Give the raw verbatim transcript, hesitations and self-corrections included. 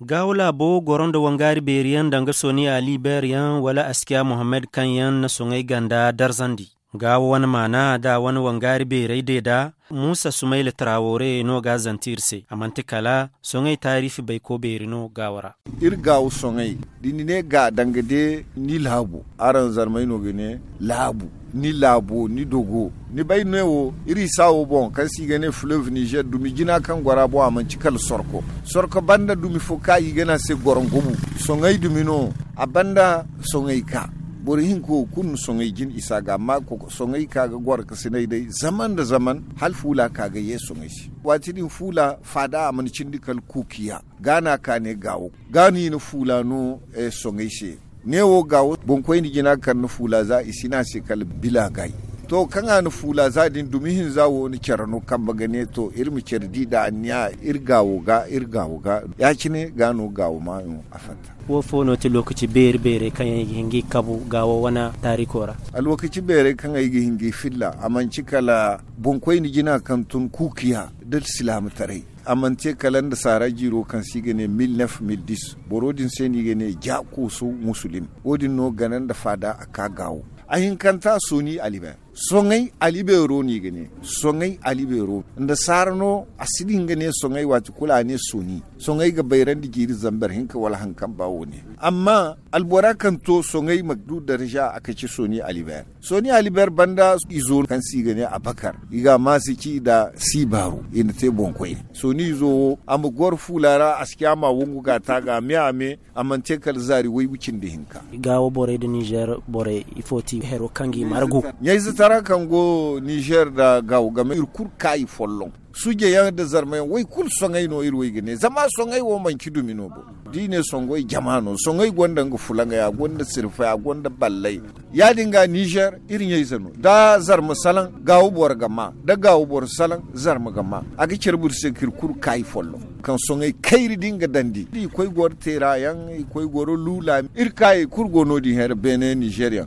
Gaawo laabo goro nda wangaari beeri yaŋ danga soni ali beer yaŋ wala askiya muhammad kaŋ yaŋ na soŋay ganda darzandi. Gaawo wane maana da wane wangaari beerey de da muusa sumayla taraawore no ga a zante iri se a manti kala soŋay taariifi bayko beeri no gaawo ra. Iri gaawo soŋay da ni ne ga danga de ni laabu araŋ zarmey no ga ne laabu ni laabo ni dogo ni bay ne wo iri isa wo boŋ kaŋ se i ga ne fleuve nizer dumi jina kaŋ goro a boŋ a manci kala sorko. Sorko banda dumi fo ka i ga ne a se gorongobu. Soŋay dumi no a banda soŋay ka boro hinka wo kulu na soŋay jin isa ga amma soŋay ka ga goro ka sinay day zaman nda zaman hala fuula ka ga ye soŋay se. Waati din fuula faada a mana cindi kala kuukiya ga no a ka ne gaawo ga no i na fuula no soŋay se. Ne wo gaawo boŋkoyne jina kaŋ na fuula za i si ne a se kala bila gay. To kaŋ a na fuula za din dumi hinza wo na care no kambe ga ne to iri ma care di nda anniya iri gaawo ga iri gaawo ga. Ya- cine ga no gaawo maayo a fatta. Wo fo no ti lookaci beeri beerey kaŋ yaŋ i ga hin ga i kabu gaawo wane taariiko ra? Alwakaci beerey kaŋ ay ga hin ga i filla a manci kala boŋkoyne jina kaŋ tun kuukiya nda silaamataray. A mana te kala nda saara jiiro kaŋ se i ga ne mil neef mil dis boro din se no i ga ne ja kooso musulim. Wo- din no gana nda faada a ka gaawo. A hinkanta sooni alibeer. Soŋay alibeero no i ga ne. Soŋay alibeero nda saara no a si din ga ne soŋay waati kulu a ne sooni. Soŋay ga bayrandi jiiri zambar hinka wala haŋ kaŋ ba wo- ne. Amma albora kaŋ to soŋay ma du darza a ga ci sooni alibeer. Sooni alibeer banda izo kaŋ se i ga ne abakar i ga a maasi ci nda siibaaru i na te boŋkoyne. Sooni izo wo a ma goro fuula ra a si ci a ma wongu ga a taaga a me a me. A mana te kala zaari waygu cindi hinka. Gaawo borey nda nizer borey ifo ti hero kaŋ ga i margu? Ɲayze tara kaŋ go nizer nda gaawo game iri kulu kaayi folloŋ. Suje yaŋ nda zarma yaŋ wo i kulu soŋay no iri wo i ga ne zama soŋay wo manci dumi no bo. Da i ne soŋay jama no soŋay gonda nga fulaŋay a gonda sirfay a gonda ballay. Ya- din ga nizer iri ɲayze no da zarma salaŋ gaawo boro ga ma da gaawo boro salaŋ zarma ga ma. A ga care boro se ka iri kulu kaayi folloŋ kaŋ soŋay kayri da nga dandi i koy goro teera yaŋ i koy goro luula iri kaayey kulu go no- din here beene nizer yaŋ.